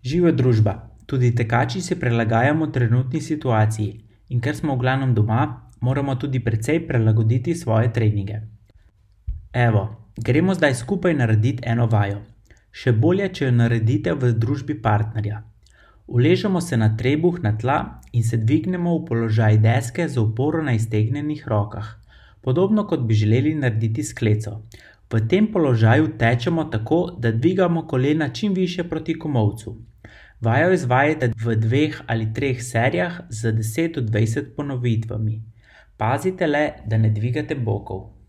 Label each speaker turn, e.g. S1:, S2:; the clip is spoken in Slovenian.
S1: Živa družba, tudi tekači se prilagajamo trenutni situaciji in ker smo v glavnem doma, moramo tudi precej prilagoditi svoje treninge. Evo, gremo zdaj skupaj narediti eno vajo. Še bolje, če jo naredite v družbi partnerja. Uležemo se na trebuh na tla in se dvignemo v položaj deske z oporo na iztegnjenih rokah, podobno kot bi želeli narediti s skleco. V tem položaju tečemo tako, da dvigamo kolena čim više proti komolcu. Vajo izvajajte v 2 ali 3 serijah z 10 do 20 ponovitvami. Pazite le, da ne dvigate bokov.